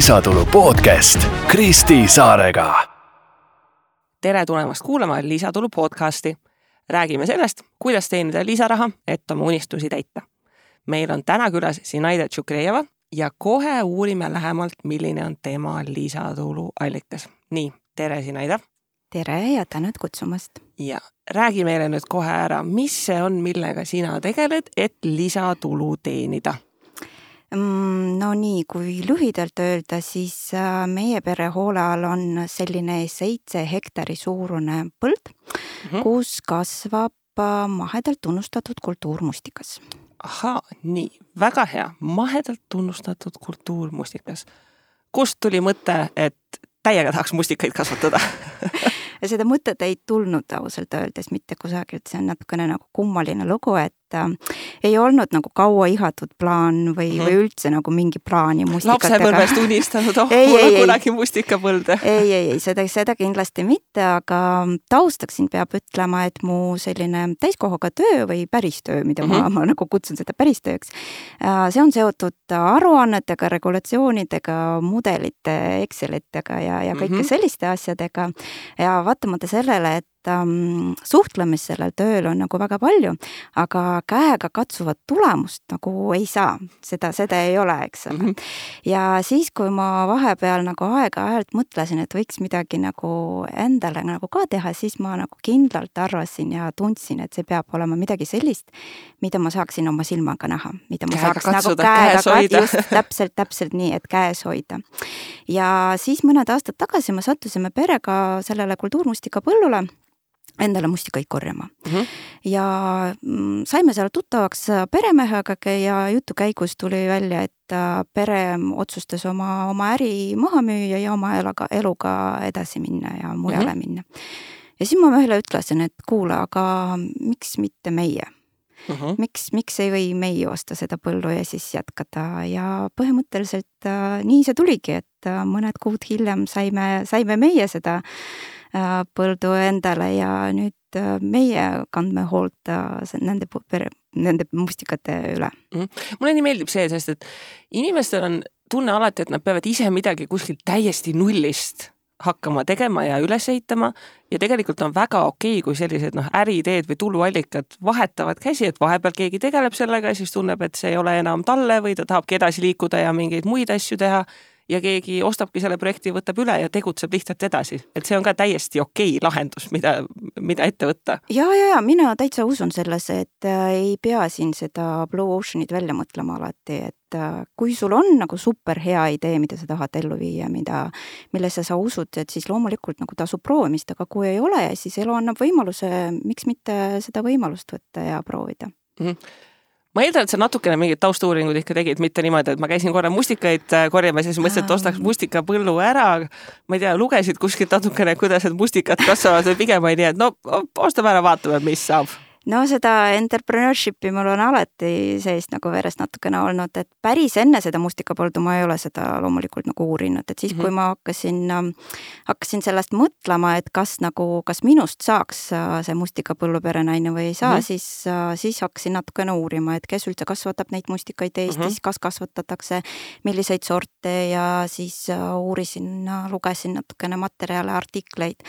Lisatulu podcast Kristi Saarega. Tere tulemast kuulama Lisatulu podcasti. Räägime sellest, kuidas teenida lisaraha, et oma unistusi täita. Meil on täna külas Zinaida Tšukrejeva ja kohe uurime lähemalt, milline on tema lisatulu allikas. Nii, tere Zinaida. Tere ja tänud kutsumast. Ja räägi meile nüüd kohe ära, mis see on, millega sina tegeled, et lisatulu teenida? No nii, kui lühidalt öelda, siis meie pere hoole all on selline 7 hektari suurune põld, kus kasvab mahedalt tunnustatud kultuurmustikas. Ahaa, nii, väga hea. Mahedalt tunnustatud kultuurmustikas. Kust tuli mõte, et täiega tahaks mustikaid kasvatada? Ja seda mõtet ei tulnud ausalt öeldes mitte kusagilt, see on natukene nagu kummaline lugu, et ei olnud nagu kaua ihatud plaan või üldse nagu mingi plaani mustikatega. Lapsepõlvest unistanud, kunagi mustikapõlde. Ei, seda kindlasti mitte, aga taustaksin peab ütlema, et mu selline täiskohaga töö või päris töö, mida ma nagu kutsun seda päris tööks, see on seotud aruannetega, regulatsioonidega, mudelite, Excelitega ja kõike selliste asjadega ja vaatamata sellele, et suhtlemist sellel tööl on nagu väga palju, aga käega katsuvat tulemust nagu ei saa. Seda ei ole, eks ole. Ja siis, kui ma vahepeal nagu aeg-ajalt mõtlesin, et võiks midagi nagu endale nagu ka teha, siis ma nagu kindlalt arvasin ja tundsin, et see peab olema midagi sellist, mida ma saaksin oma silmaga näha, mida ma saaks nagu käega täpselt nii, et käes hoida. Ja siis mõned aastad tagasi me sattusime perega sellele kultuurmustika põllule endale mustikaid korjama. Ja saime seal tuttavaks peremehega ja jutu käigus tuli välja, et pere otsustas oma äri maha müüa ja oma eluga edasi minna ja mujale minna. Ja siis ma ühele ütlesin, et kuule, aga miks mitte meie? Miks ei või meie osta seda põllu ja siis jätkata ja põhimõtteliselt nii see tuligi, et mõned kuud hiljem saime meie seda põldu endale ja nüüd meie kandme hoolt nende mustikate üle. Mulle nii meeldib see, sest et inimestel on tunne alati, et nad peavad ise midagi kuskilt täiesti nullist hakkama tegema ja üles ehitama ja tegelikult on väga okei, kui sellised äriideed või tuluallikad vahetavad käsi, et vahepeal keegi tegeleb sellega ja siis tunneb, et see ei ole enam talle või ta tahabki edasi liikuda ja mingeid muid asju teha ja keegi ostabki selle projekti, võtab üle ja tegutseb lihtsalt edasi. Et see on ka täiesti okei lahendus, mida ette võtta. Ja, mina täitsa usun selles, et ei pea siin seda Blue Oceanit välja mõtlema alati, et kui sul on nagu super hea idee, mida sa tahad ellu viia, millesse sa usud, et siis loomulikult nagu tasub proovimist, aga kui ei ole, siis elu annab võimaluse, miks mitte seda võimalust võtta ja proovida. Ma eeldan, et sa natukene mingid taustuuringud ikka tegid, mitte niimoodi, et ma käisin korra mustikaid korjamas ja siis mõtlesin, et ostaks mustikapõllu ära. Ma ei tea, lugesid kuskilt natukene, kuidas need mustikad kasvavad või pigem ei nii, et ostame ära, vaatame, mis saab. No seda entrepreneurshipi mul on alati seest nagu verest natukene olnud, et päris enne seda mustikapoldu ma ei ole seda loomulikult nagu uurinud, et siis kui ma hakkasin sellest mõtlema, et kas minust saaks see mustikapõllu perenaine või ei saa, siis hakkasin natukene uurima, et kes üldse kasvatab neid mustikaid Eestis, kas kasvatatakse, milliseid sorte ja siis uurisin, lugesin natukene materjale, artikleid.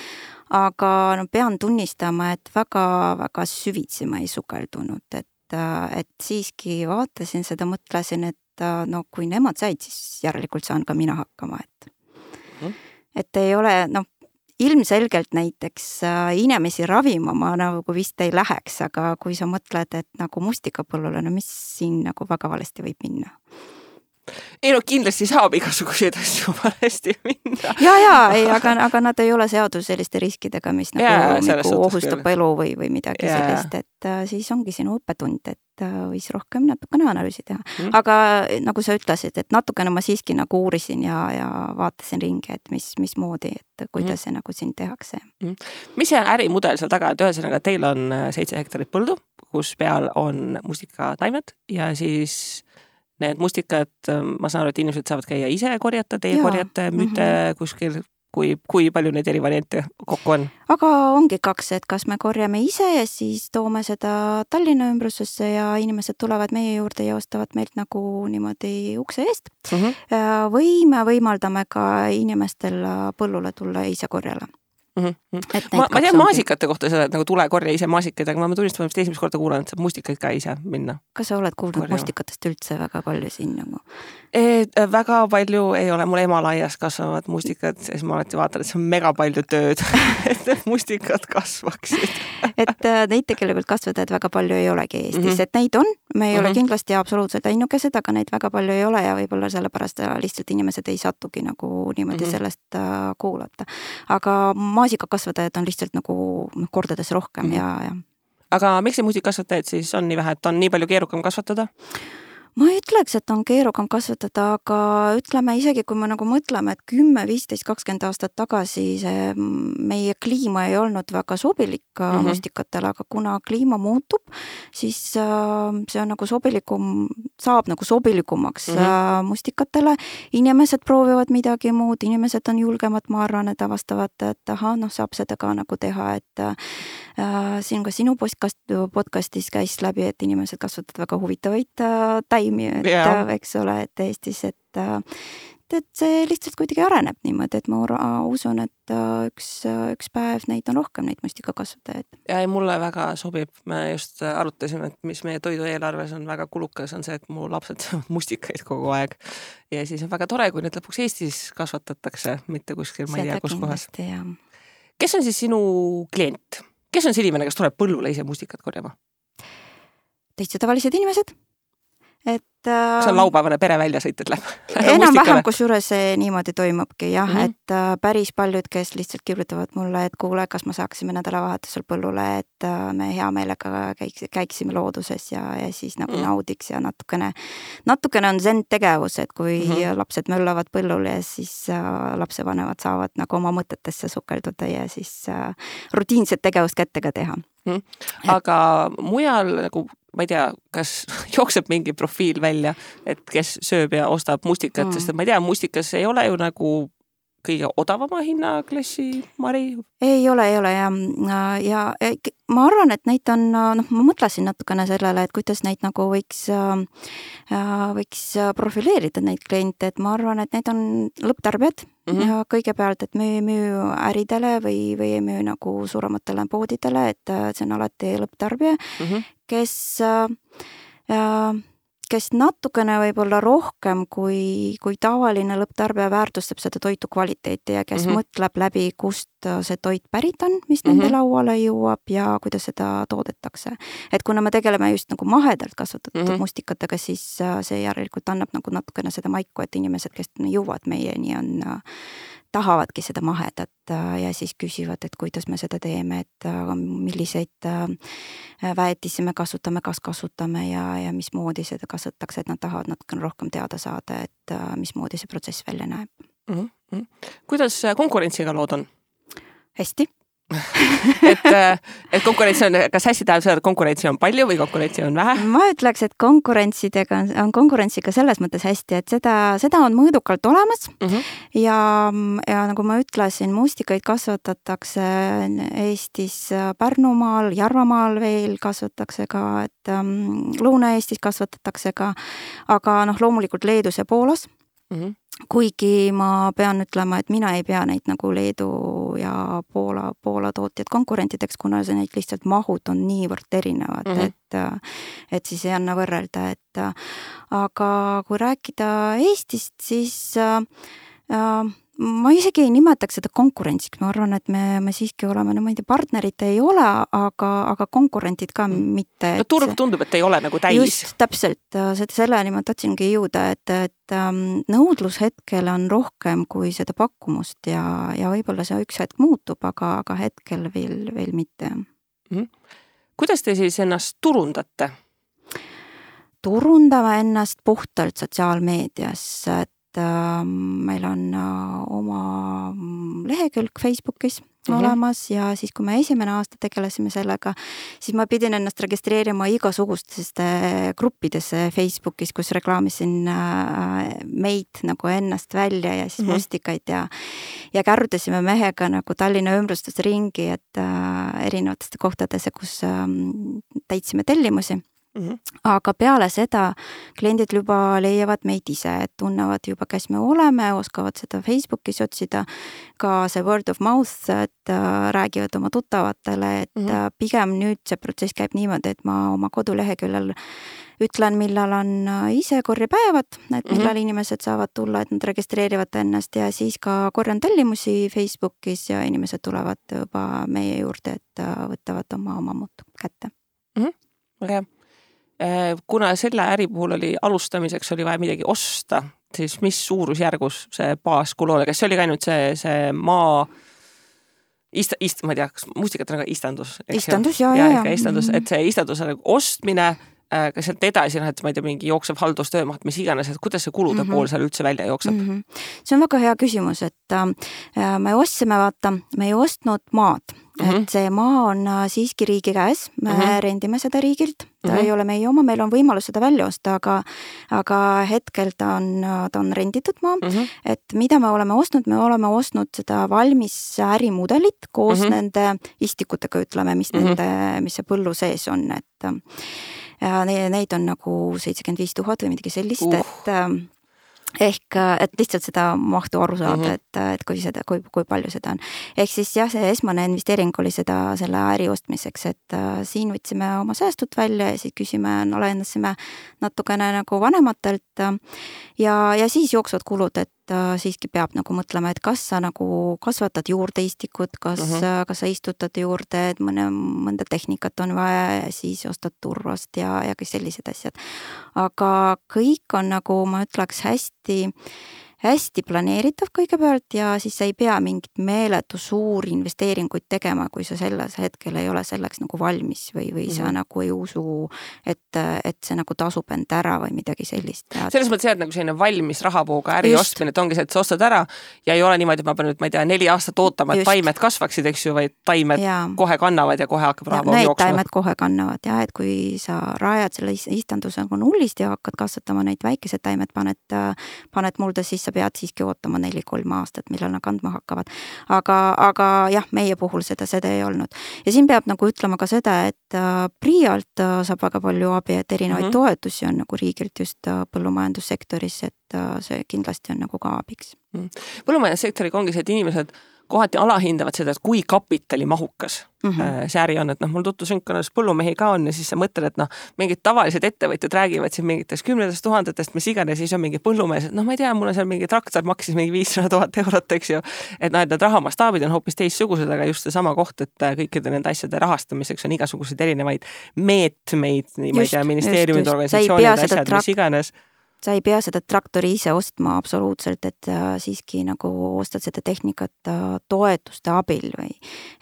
Aga pean tunnistama, et väga süvitsi ma ei sukeldunud, et siiski vaatasin seda, mõtlesin, et kui nemad said, siis järelikult saan ka mina hakkama, et ei ole, ilmselgelt näiteks inimesi ravima ma nagu vist ei läheks, aga kui sa mõtled, et nagu mustikapõllule, mis siin nagu väga valesti võib minna? Ei kindlasti saab igasuguseid asju valesti minna. Aga nad ei ole seotud selliste riskidega, mis nagu ohustab elu või midagi sellist, et siis ongi sinu õppetund, et võis rohkem natukene analüüsi teha. Aga nagu sa ütlesid, et natukene ma siiski nagu uurisin ja vaatasin ringi, et mis moodi, et kuidas see nagu siin tehakse. Mis see ärimudel seal taga, et ühesõnaga teil on 7 hektarit põldu, kus peal on mustikataimed ja siis need mustikad, ma saan aru, et inimesed saavad käia ise korjata, teie korjate, müüte kuskil kui palju neid eri variante kokku on? Aga ongi 2, et kas me korjame ise ja siis toome seda Tallinna ümbrusesse ja inimesed tulevad meie juurde ja ostavad meilt nagu niimoodi ukse eest. Või me võimaldame ka inimestel põllule tulla ise korjale. Ma tean maasikate kohta seda, et nagu tule korja ise maasikaid, aga ma tunnistama, et esimest korda kuulan, et saab mustikaid ka ise minna. Kas sa oled kuulnud mustikatest üldse väga palju siin nagu? Väga palju ei ole, mul ema laias kasvavad mustikad, siis ma alati vaatan, et see on mega palju tööd, et need mustikad kasvaksid. Et neid tegelikult kasvatajaid väga palju ei olegi Eestis, et neid on, me ei ole kindlasti absoluutselt ainukesed, aga neid väga palju ei ole ja võib-olla sellepärast lihtsalt inimesed ei satugi nagu niimoodi sellest kuulata. Aga maasikakasvatajad on lihtsalt nagu kordades rohkem ja. Aga miks see muusikakasvatajaid siis on nii vähe, et on nii palju keerukam kasvatada? Ma ei ütleks, et on keerukam kasvatada, aga ütleme isegi, kui me nagu mõtleme, et 10, 15, 20 aastat tagasi see meie kliima ei olnud väga sobilik mustikatele, aga kuna kliima muutub, siis see on nagu saab nagu sobilikumaks mustikatele. Inimesed proovivad midagi muud, inimesed on julgemad, ma arvan, et avastavad, et saab seda ka nagu teha, et siin ka sinu podcastis käis läbi, et inimesed kasvatavad väga huvitavaid taimi, eks ole, et Eestis, et see lihtsalt kuidagi areneb niimoodi, et ma usun, et üks päev neid on rohkem, neid mustikakasvatajaid. Ja mulle väga sobib, me just arutasime, et mis meie toidueelarves on väga kulukas, on see, et mu lapsed saavad mustikaid kogu aeg. Ja siis on väga tore, kui need lõpuks Eestis kasvatatakse, mitte kuskil, ma ei tea, kus kohas. Kes on siis sinu klient? Kes on see inimene, kes tuleb põllule ise mustikat korjama? Täitsa tavalised inimesed. Kas on laupäevane pere välja sõited läheb? Enam vähem, kus juures see niimoodi toimubki, jah, et päris paljud, kes lihtsalt kirjutavad mulle, et kuule, kas ma saaksime nädalavahetusel põllule, et me hea meelega käiksime looduses ja siis nagu naudiks ja natukene on zen tegevus, et kui lapsed möllavad põllul ja siis lapsevanemad saavad nagu oma mõtetesse sukelduda ja siis rutiinset tegevust kättega teha. Aga mujal nagu ma ei tea, kas jookseb mingi profiil välja, et kes sööb ja ostab mustikat, sest ma ei tea, mustikas ei ole ju nagu kõige odavama hinnaklassi, Mari? Ei ole ja ma arvan, et neid on, ma mõtlesin natukene sellele, et kuidas neid nagu võiks profileerida neid kliente, et ma arvan, et need on lõpptarbijad ja kõigepealt, et me ei müü äridele või ei müü nagu suurematele poodidele, et see on alati lõpptarbija, kes natukene võib-olla rohkem kui tavaline lõpptarbija väärtustab seda toitu kvaliteeti ja kes mõtleb läbi, kust see toit pärit on, mis nende lauale jõuab ja kuidas seda toodetakse. Et kuna me tegeleme just nagu mahedalt kasvatatud mustikatega, siis see järelikult annab nagu natukene seda maiku, et inimesed, kes jõuavad meieni, tahavadki seda mahedat ja siis küsivad, et kuidas me seda teeme, et milliseid väetisi me kasutame, kas kasutame ja mismoodi seda kasutatakse, et nad tahavad natukene rohkem teada saada, et mismoodi see protsess välja näeb. Kuidas konkurentsiga lood on? Hästi. et konkurentsi on, kas hästi tähendab seda, et konkurentsi on palju või konkurentsi on vähe? Ma ütleks, et on konkurentsiga selles mõttes hästi, et seda on mõõdukalt olemas ja nagu ma ütlesin, mustikaid kasvatatakse Eestis Pärnumaal, Järvamaal veel kasvatatakse ka, et Lõuna-Eestis kasvatatakse ka, aga loomulikult Leedus ja Poolas. Kuigi ma pean ütlema, et mina ei pea neid nagu Leedu ja Poola tootjad konkurentideks, kuna neid lihtsalt mahud on niivõrd erinevad, et siis ei anna võrrelda, et aga kui rääkida Eestist, siis ma isegi ei nimetaks seda konkurentsiks, ma arvan, et me siiski oleme, ma ei tea, partnerid ei ole, aga konkurentid ka mitte. Turg tundub, et ei ole nagu täis. Just, täpselt, selleni ma tahtsingi jõuda, et nõudlus hetkel on rohkem kui seda pakkumust ja võib-olla see üks hetk muutub, aga hetkel veel mitte. Kuidas te siis ennast turundate? Turundame ennast puhtalt sotsiaalmeedias, et meil on oma lehekülg Facebookis, olemas ja siis, kui me esimene aasta tegelesime sellega, siis ma pidin ennast registreerima igasugustesse gruppidesse Facebookis, kus reklaamisin meid nagu ennast välja ja siis mustikaid ja kärrutasime mehega nagu Tallinna ümbrustes ringi, et erinevatesse kohtadesse, kus täitsime tellimusi. Aga peale seda kliendid juba leiavad meid ise, et tunnevad juba, kes me oleme, oskavad seda Facebookis otsida, ka see word of mouth, et räägivad oma tuttavatele, et pigem nüüd see protsess käib niimoodi, et ma oma koduleheküljel ütlen, millal on ise korjepäevad, et millal inimesed saavad tulla, et nad registreerivad ennast ja siis ka korjan tellimusi Facebookis ja inimesed tulevad juba meie juurde, et võtavad oma muud kätte. Väga hea. Kuna selle äri puhul oli alustamiseks oli vaja midagi osta, siis mis suurusjärgus see baaskulu oli? Kas see oli ka ainult see maa ma ei tea, kas mustikat on ka istandus? Istandus, ja. Istandus, et see istanduse ostmine, kas sealt edasi, et ma ei tea, mingi jooksev haldustöömaht, mis iganes, et kuidas see kulude pool seal üldse välja jookseb? See on väga hea küsimus, et me ostsime, me ei ostnud maad. Et see maa on siiski riigi käes, me rendime seda riigilt, ta ei ole meie oma, meil on võimalus seda välja osta, aga hetkel ta on renditud maa, et mida me oleme ostnud seda valmis ärimudelit koos nende istikutega, ütleme, mis see põllu sees on, et neid on nagu 75 000 või midagi sellist, et lihtsalt seda mahtu aru saada, et kui palju seda on. Ehk siis jah, see esmane investeering oli selle äri ostmiseks, et siin võtsime oma säästud välja ja siis lahendasime natukene nagu vanematelt ja siis jooksvad kulud, et siiski peab nagu mõtlema, et kas sa nagu kasvatad juurde istikut, kas sa istutad juurde, et mõnda tehnikat on vaja ja siis ostad turvast ja kõik sellised asjad. Aga kõik on nagu, ma ütleks, hästi planeeritav kõigepealt ja siis sa ei pea mingit meeletu suuri investeeringuid tegema, kui sa selles hetkel ei ole selleks nagu valmis või sa nagu ei usu, et see nagu tasub end ära või midagi sellist. Selles mõttes jah, et nagu selline valmis rahavooga äri ostmine, et ongi see, et sa ostad ära ja ei ole niimoodi, et ma pean nüüd, ma ei tea, 4 aastat ootama, et taimed kasvaksid, eks ju, või taimed kohe kannavad ja kohe hakkab rahavoog jooksma. Taimed kohe kannavad ja, et kui sa rajad selle istanduse nagu nullist ja hakkad kasvatama neid väikesed taimed, paned mulda, siis sa pead siiski ootama 4-3 aastat, millal nad kandma hakkavad. Aga jah, meie puhul seda ei olnud. Ja siin peab nagu ütlema ka seda, et PRIA-lt saab väga palju abi, et erinevaid toetusi on nagu riigilt just põllumajandussektoris, et see kindlasti on nagu ka abiks. Põllumajandussektoriga ongi see, et inimesed kohati alahindavad seda, et kui kapitalimahukas see äri on, et mul tutvusringkonnas põllumehi ka on ja siis sa mõtled, et mingid tavalised ettevõtjad räägivad siin mingitest 10 000, mis iganes, siis on mingi põllumees, et ma ei tea, mul on seal mingi traktor maksis mingi 500 000 eurot, eks ju, et need rahamastaabid on hoopis teissugused, aga just see sama koht, et kõikide nende asjade rahastamiseks on igasuguseid erinevaid meetmeid, nii ma ei tea, ministeeriumid, organisatsioonid, asjad, mis iganes. Sa ei pea seda traktori ise ostma absoluutselt, et siiski nagu ostad seda tehnikat toetuste abil või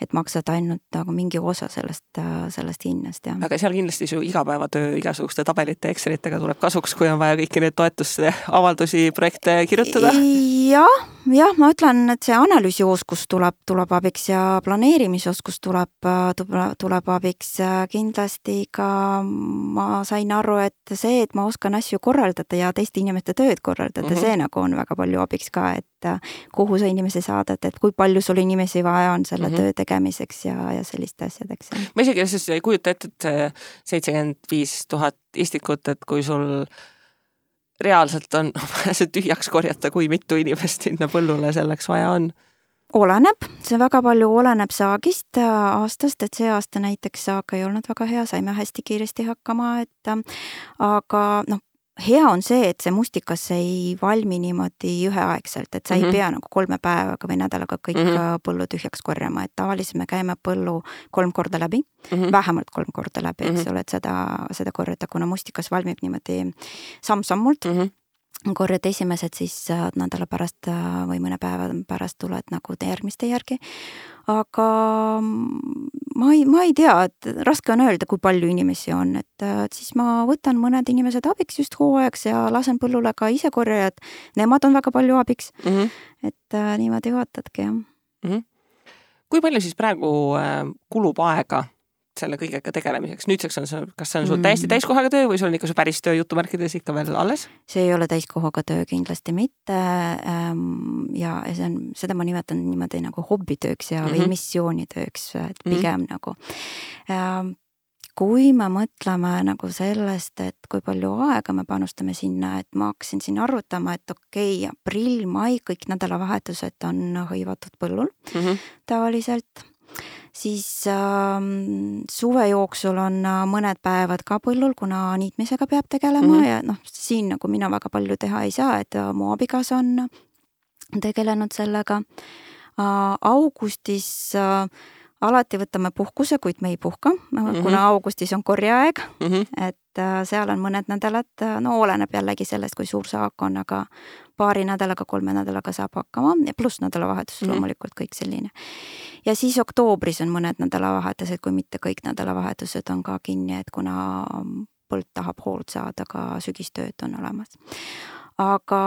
et maksad ainult nagu mingi osa sellest hinnast. Ja. Aga seal kindlasti su igapäevatöö igasuguste tabelite Excelitega tuleb kasuks, kui on vaja kõiki need toetuste avaldusi, projekte kirjutada? Jah, ma ütlen, et see analüüsioskus tuleb abiks ja planeerimisoskus tuleb abiks. Kindlasti ka ma sain aru, et see, et ma oskan asju korraldada ja teiste inimeste tööd korraldada, see nagu on väga palju abiks ka, et kuhu sa inimesi saadad, et kui palju sul inimesi vaja on selle töö tegemiseks ja selliste asjadeks. Ma isegi ei kujuta ette, et 75 000 istikut, et kui sul reaalselt on see tühjaks korjata, kui mitu inimest sinna põllule selleks vaja on? Oleneb, see väga palju oleneb saagist aastast, et see aasta näiteks saag ei olnud väga hea, saime hästi kiiresti hakkama, aga hea on see, et see mustikas ei valmi niimoodi üheaegselt, et sa ei pea nagu 3 päevaga või nädalaga kõik põllu tühjaks korjama, et tavaliselt me käime põllu 3 korda läbi, vähemalt 3 korda läbi, eks ole, et seda korjata, kuna mustikas valmib niimoodi samm-sammult. Korjad esimesed, siis nädala pärast või mõne päeva pärast tuled nagu järgmiste järgi. Aga ma ei tea, et raske on öelda, kui palju inimesi on, et siis ma võtan mõned inimesed abiks just hooajaks ja lasen põllule ka ise korjajad. Nemad on väga palju abiks, et niimoodi vaatadki, jah. kui palju siis praegu kulub aega selle kõigega tegelemiseks? Nüüdseks on see, kas see on sul täiesti täiskohaga töö või sul on ikka see päris töö jutumärkides ikka veel alles? See ei ole täiskohaga töö kindlasti mitte ja seda ma nimetan niimoodi nagu hobbitööks ja või missioonitööks, et pigem nagu. Kui me mõtleme nagu sellest, et kui palju aega me panustame sinna, et ma hakkasin siin arvutama, et okei, aprill, mai, kõik nädalavahetused on hõivatud põllul tavaliselt. Siis suve jooksul on mõned päevad ka põllul, kuna niitmisega peab tegelema ja siin nagu mina väga palju teha ei saa, et mu abikaasa on tegelenud sellega. Augustis alati võtame puhkuse, kuid me ei puhka, kuna augustis on korjeaeg, et seal on mõned nädalad, oleneb jällegi sellest, kui suur saak on, aga paari nädalaga, 3 nädalaga saab hakkama ja pluss nädalavahetus loomulikult kõik selline. Ja siis oktoobris on mõned nädalavahetused, kui mitte kõik nädalavahetused on ka kinni, et kuna põld tahab hoolt saada, ka sügistööd on olemas. Aga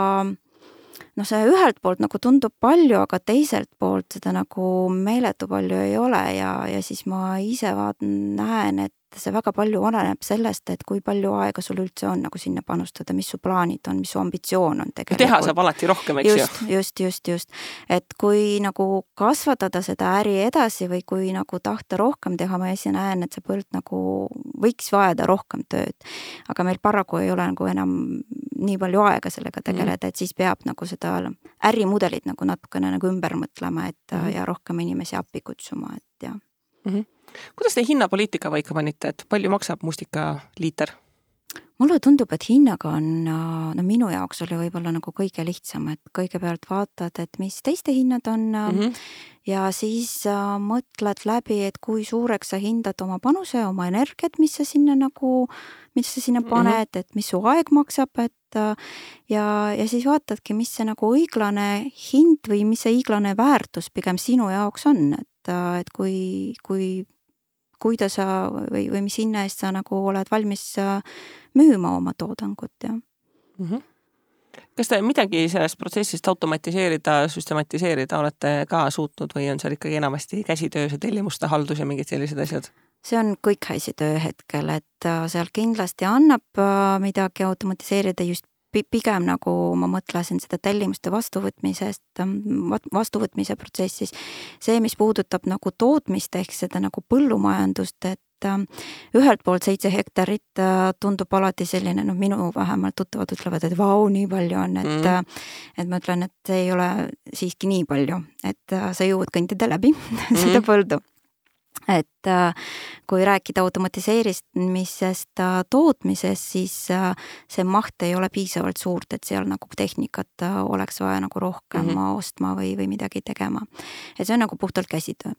see ühelt poolt nagu tundub palju, aga teiselt poolt seda nagu meeletu palju ei ole ja siis ma ise näen, et see väga palju oleneb sellest, et kui palju aega sul üldse on nagu sinna panustada, mis su plaanid on, mis su ambitsioon on tegelikult. Teha saab alati rohkem, eks ju? Just. Et kui nagu kasvatada seda äri edasi või kui nagu tahta rohkem teha, ma ise näen, et see põld nagu võiks vajada rohkem tööd. Aga meil paraku ei ole nagu enam nii palju aega sellega tegeleda, et siis peab nagu seda ärimudelit nagu natukene nagu ümber mõtlema, et ja rohkem inimesi appi kutsuma, et jah. Kuidas te hinnapoliitika paika panite, et palju maksab mustika liiter? Mulle tundub, et hinnaga on, minu jaoks oli võib-olla nagu kõige lihtsam, et kõigepealt vaatad, et mis teiste hinnad on ja siis mõtled läbi, et kui suureks sa hindad oma panuse, oma energiat, mis sa sinna paned, et mis su aeg maksab, et ja siis vaatadki, mis see nagu õiglane hind või mis see õiglane väärtus pigem sinu jaoks on, et kuidas sa või mis hinna eest sa nagu oled valmis müüma oma toodangut, jah. Kas te midagi sellest protsessist automatiseerida, süstematiseerida olete ka suutnud või on seal ikkagi enamasti käsitöö, see tellimuste haldus ja mingid sellised asjad? See on kõik käsitöö hetkel, et seal kindlasti annab midagi automatiseerida just pigem nagu ma mõtlesin seda tellimuste vastuvõtmise protsessis. See, mis puudutab nagu tootmist ehk seda nagu põllumajandust, et ühelt poolt 7 hektarit tundub alati selline, minu vähemalt tuttavad ütlevad, et vau, nii palju on, et ma ütlen, et see ei ole siiski nii palju, et sa jõuad kõndida läbi seda põldu. Et kui rääkida automatiseerimisest tootmisest, siis see maht ei ole piisavalt suurt, et seal nagu tehnikat oleks vaja nagu rohkem ostma või midagi tegema. Et see on nagu puhtalt käsitöö.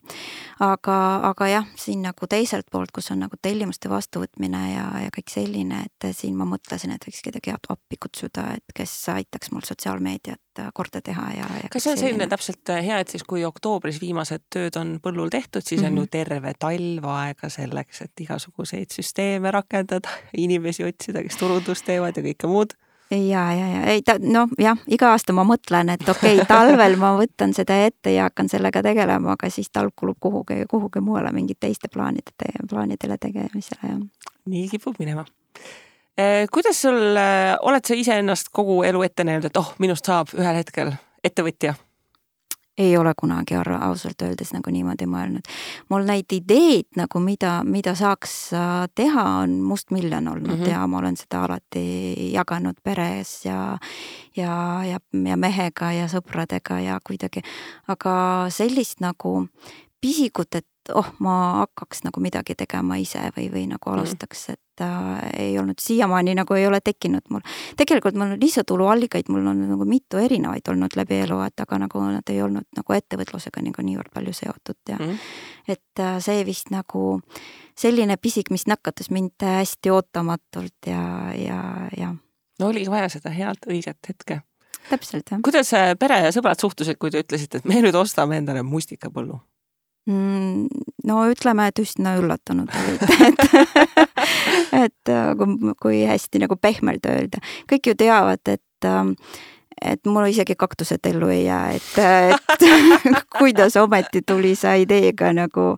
Aga jah, siin nagu teiselt poolt, kus on nagu tellimuste vastuvõtmine ja kõik selline, et siin ma mõtlesin, et võiks kedagi appi kutsuda, et kes aitaks mul sotsiaalmeediat korda teha. Kas see on selline täpselt hea, et siis kui oktoobris viimased tööd on põllul tehtud, siis on ju terve talv aega selleks, et igasuguseid süsteeme rakendada, inimesi otsida, kes turundust teevad ja kõike muud? Iga aasta ma mõtlen, et okei, talvel ma võtan seda ette ja hakkan sellega tegelema, aga siis talv kulub kuhugi muule mingid teiste plaanidele tegemisele. Nii kipub minema. Kuidas sul, oled sa ise ennast kogu elu ette näinud, et minust saab ühel hetkel ettevõtja? Ei ole kunagi ausalt öeldes nagu niimoodi mõelnud. Mul neid ideid, nagu mida saaks teha, on mustmiljon olnud ja ma olen seda alati jaganud peres ja mehega ja sõpradega ja kuidagi. Aga sellist nagu pisikut, et ma hakkaks nagu midagi tegema ise või nagu alustaks, et ei olnud siiamaani nagu ei ole tekkinud mul. Tegelikult mul on lisatuluallikaid, mul on nagu mitu erinevaid olnud läbi elu, aga nagu nad ei olnud nagu ettevõtlusega nagu niivõrd palju seotud ja et see vist nagu selline pisik, mis nakatas mind hästi ootamatult ja. No oligi vaja seda head õiget hetke. Täpselt, jah. Kuidas pere ja sõbrad suhtusid, kui te ütlesite, et me nüüd ostame endale mustikapõllu? No ütleme, et üsna üllatunud olid, et kui hästi nagu pehmelt öelda. Kõik ju teavad, et mul isegi kaktused ellu ei jää, et kuidas ometi tuli sa ideega nagu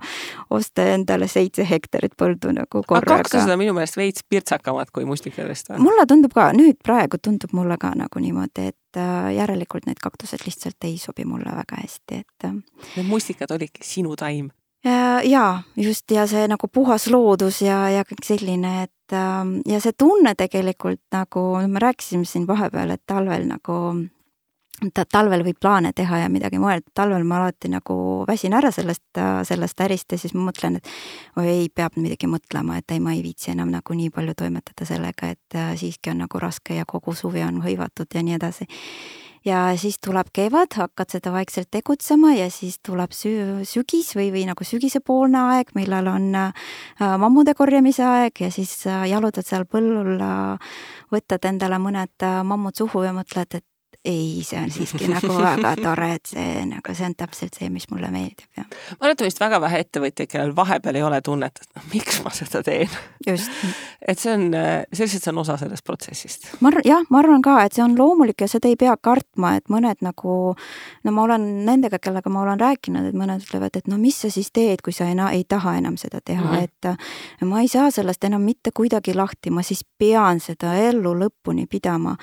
osta endale 7 hektarit põldu nagu korraga. Aga kaktused on minu meelest veits pirtsakamad kui mustikadest. Mulle tundub ka, nüüd praegu tundub mulle ka nagu niimoodi, et järelikult need kaktused lihtsalt ei sobi mulle väga hästi, et need mustikad olidki sinu taim. Ja just, ja see nagu puhas loodus ja kõik selline, et ja see tunne tegelikult nagu, me rääkisime siin vahepeal, et talvel nagu, talvel võib plaane teha ja midagi mõelda, talvel ma alati nagu väsin ära sellest ärist ja siis ma mõtlen, et ei, peab midagi mõtlema, et ei, ma ei viitsi enam nagu nii palju toimetada sellega, et siiski on nagu raske ja kogu suvi on hõivatud ja nii edasi. Ja siis tuleb kevad, hakkad seda vaikselt tegutsema ja siis tuleb sügis või nagu sügisepoolne aeg, millal on mammude korjamise aeg ja siis jalutad seal põllul, võtad endale mõned mammud suhu ja mõtled, et ei, see on siiski nagu väga tore, et see on täpselt see, mis mulle meeldib. Ja. Ma arvan, et vist väga vähe ettevõtja, kellel vahepeal ei ole tunnet, et miks ma seda teen. Just. Et see on osa sellest protsessist. Ma arvan ka, et see on loomulik ja seda ei pea kartma, et mõned nagu, no ma olen nendega, kellega ma olen rääkinud, et mõned ütlevad, et no mis sa siis teed, kui sa ei taha enam seda teha, et ma ei saa sellest enam mitte kuidagi lahti, ma siis pean seda ellu lõpuni pidama.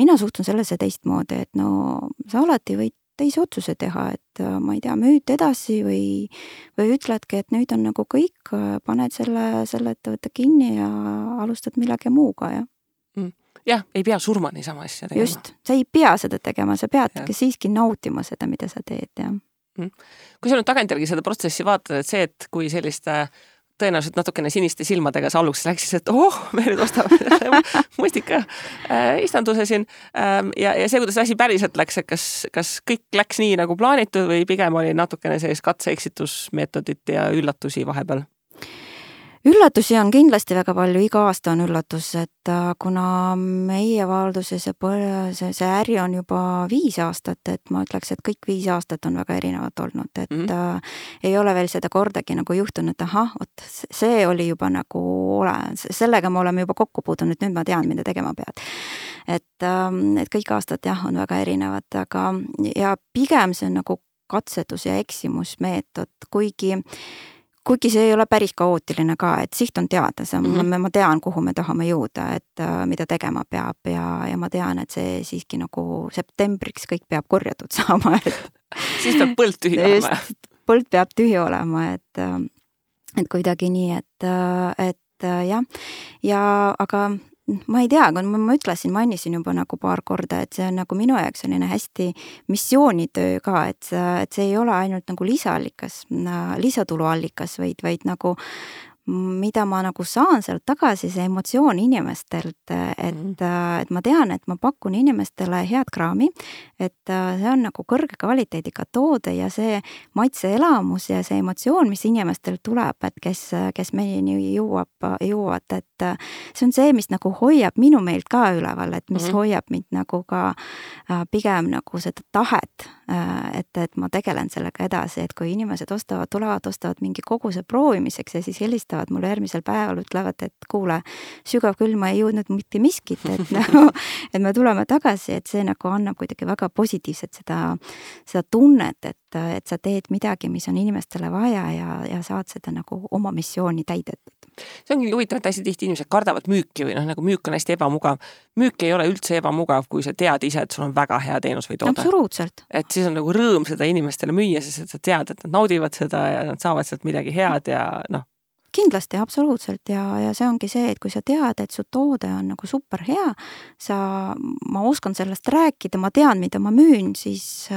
Mina suhtun sellesse teistmoodi, et no sa alati võid teise otsuse teha, et ma ei tea, müüd edasi või ütledki, et nüüd on nagu kõik, paned selle ettevõtte kinni ja alustad millegi muuga. Jah, ei pea surma niisama asja tegema. Just, sa ei pea seda tegema, sa peadki siiski nautima seda, mida sa teed. Ja. Kui sa nüüd tagantjärgi seda protsessi vaatad, et see, et kui selliste tõenäoliselt natukene siniste silmadega sa aluks läksis, et me nüüd ostame mustika istanduse siin ja see, kuidas asi päriselt läks, et kas kõik läks nii nagu plaanitud või pigem oli natukene sellist katse-eksitusmeetodit ja üllatusi vahepeal? Üllatusi on kindlasti väga palju, iga aasta on üllatus, et kuna meie valduses see äri on juba 5 aastat, et ma ütleks, et kõik 5 aastat on väga erinevad olnud, et ei ole veel seda kordagi nagu juhtunud, et see oli juba nagu sellega me oleme juba kokku puudunud, nüüd ma tean, mida tegema pead. Et kõik aastad on väga erinevad, aga ja pigem see on nagu katsetus ja eksimusmeetod, kuigi see ei ole päris kaootiline ka, et siht on teada, ma tean, kuhu me tahame jõuda, et mida tegema peab ja ma tean, et see siiski nagu septembriks kõik peab korjatud saama. Siis peab põld tühi olema. Põld peab tühi olema, et kuidagi nii, et jah. Ja aga ma ei tea, kui ma mainisin juba nagu paar korda, et see on nagu minu jaoks selline hästi missioonitöö ka, et see ei ole ainult nagu lisatuluallikas, vaid nagu mida ma nagu saan sealt tagasi, see emotsioon inimestelt, et ma tean, et ma pakun inimestele head kraami, et see on nagu kõrge kvaliteediga toode ja see maitseelamus ja see emotsioon, mis inimestel tuleb, et kes meieni jõuavad, et see on see, mis nagu hoiab minu meelt ka üleval, et mis hoiab mind nagu ka pigem nagu seda tahet, et ma tegelen sellega edasi, et kui inimesed ostavad mingi koguse proovimiseks ja siis helistavad mulle järgmisel päeval, ütlevad, et kuule, sügav küll, ma ei jõudnud mitte miskit, et me tuleme tagasi, et see nagu annab kuidagi väga positiivset seda tunnet, et sa teed midagi, mis on inimestele vaja ja saad seda nagu oma missiooni täidetud. See ongi huvitav, et hästi tihti inimesed kardavad müüki või nagu müük on hästi ebamugav. Müük ei ole üldse ebamugav, kui sa tead ise, et sul on väga hea teenus või toode. Absoluutselt. Et siis on nagu rõõm seda inimestele müüa, sest et sa tead, et nad naudivad seda ja nad saavad sealt midagi head ja Kindlasti, absoluutselt ja see ongi see, et kui sa tead, et su toode on nagu super hea, ma oskan sellest rääkida, ma tean, mida ma müün, siis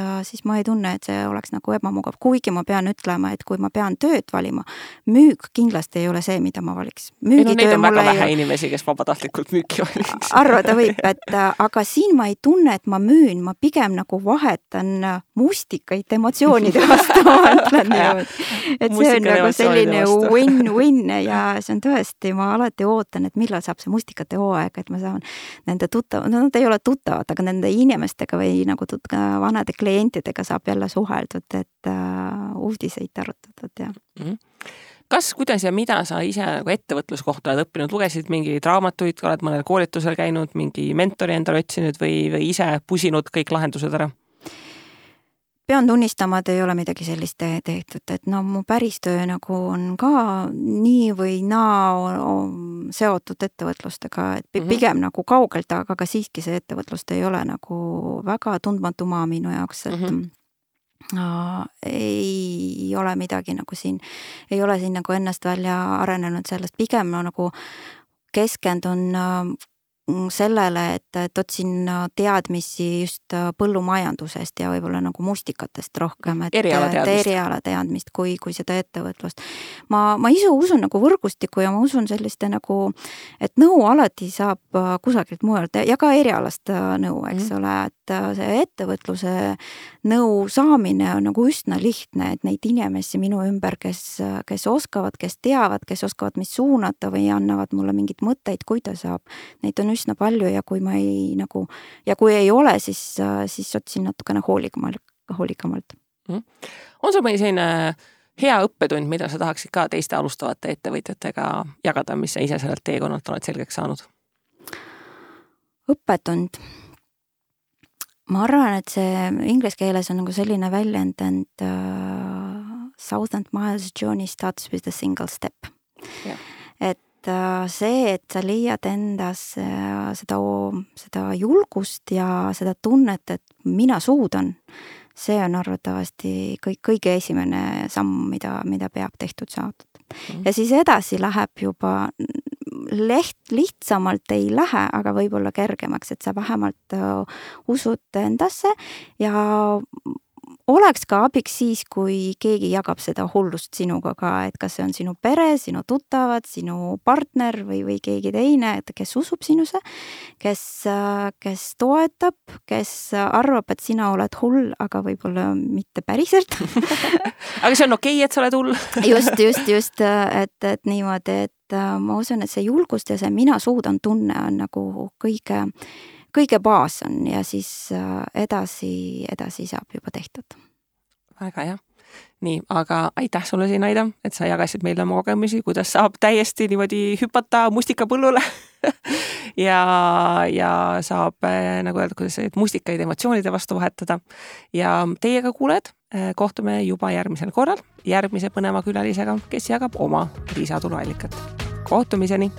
ma ei tunne, et see oleks nagu ebamugav, kuigi ma pean ütlema, et kui ma pean tööd valima, müük kindlasti ei ole see, mida ma valiks. Neid on väga vähe inimesi, kes vabatahtlikult müüki valiks. Arvata võib, aga siin ma ei tunne, et ma müün, ma pigem nagu vahetan mustikaid emotsioonide vastu, ma ütlen niimoodi. Et see on nagu selline win-win õnn ja see on tõesti, ma alati ootan, et millal saab see mustikate hooaeg, et ma saan nende nad ei ole tuttavad, aga nende inimestega või nagu vanade klientidega saab jälle suheldud, et uudiseid arutatud ja. Kas, kuidas ja mida sa ise nagu ettevõtluskohta oled õppinud? Lugesid mingi raamatuid, oled mõnel koolitusel käinud, mingi mentori endale otsinud või ise pusinud kõik lahendused ära? Pean tunnistama, et ei ole midagi sellist tehtud, et no mu päris töö nagu on ka nii või naa seotud ettevõtlustega, et pigem nagu kaugelt, aga ka siiski see ettevõtlust ei ole nagu väga tundmatu maa minu jaoks, et ei ole midagi nagu siin, ei ole siin nagu ennast välja arenenud sellest, pigem ma nagu keskendun sellele, et otsin teadmisi just põllumajandusest ja võib-olla nagu mustikatest rohkem, et eriala teadmist kui seda ettevõtlust. Ma ise usun nagu võrgustikku ja ma usun selliste nagu, et nõu alati saab kusagilt mujalt ja ka erialast nõu, eks ole, et see ettevõtluse nõu saamine on nagu üsna lihtne, et neid inimesi minu ümber, kes oskavad, kes teavad, kes oskavad mis suunata või annavad mulle mingid mõtteid, kuidas saab, neid on üsna palju ja kui ma ei nagu, ja kui ei ole, siis otsin natukene hoolikamalt. On sul mõni selline hea õppetund, mida sa tahaksid ka teiste alustavate ettevõtjatega jagada, mis sa ise sellelt teekonnalt oled selgeks saanud? Õppetund. Ma arvan, et see inglise keeles on nagu selline väljend, et 1000 miles journey starts with a single step. Ja. Et see, et sa leiad endas seda julgust ja seda tunnet, et mina suudan, see on arvatavasti kõige esimene samm, mida peab tehtud saadud. Ja siis edasi läheb juba lihtsamalt ei lähe, aga võib-olla kergemaks, et sa vähemalt usud endasse ja oleks ka abiks siis, kui keegi jagab seda hullust sinuga ka, et kas see on sinu pere, sinu tuttavad, sinu partner või keegi teine, et kes usub sinusse, kes toetab, kes arvab, et sina oled hull, aga võib-olla mitte päriselt. Aga see on okei, et sa oled hull. just, et niimoodi, et ma usun, et see julgust ja see mina suudan tunne on nagu kõige baas on ja siis edasi saab juba tehtud. Väga hea. Nii, aga aitäh sulle siin, Aida, et sa jagasid meile oma kogemusi, kuidas saab täiesti niimoodi hüpata mustikapõllule ja saab, nagu öelda, kuidas mustikaid emotsioonide vastu vahetada. Ja teiega kuuled, kohtume juba järgmisel korral järgmise põneva külalisega, kes jagab oma lisatuluallikat. Kohtumiseni!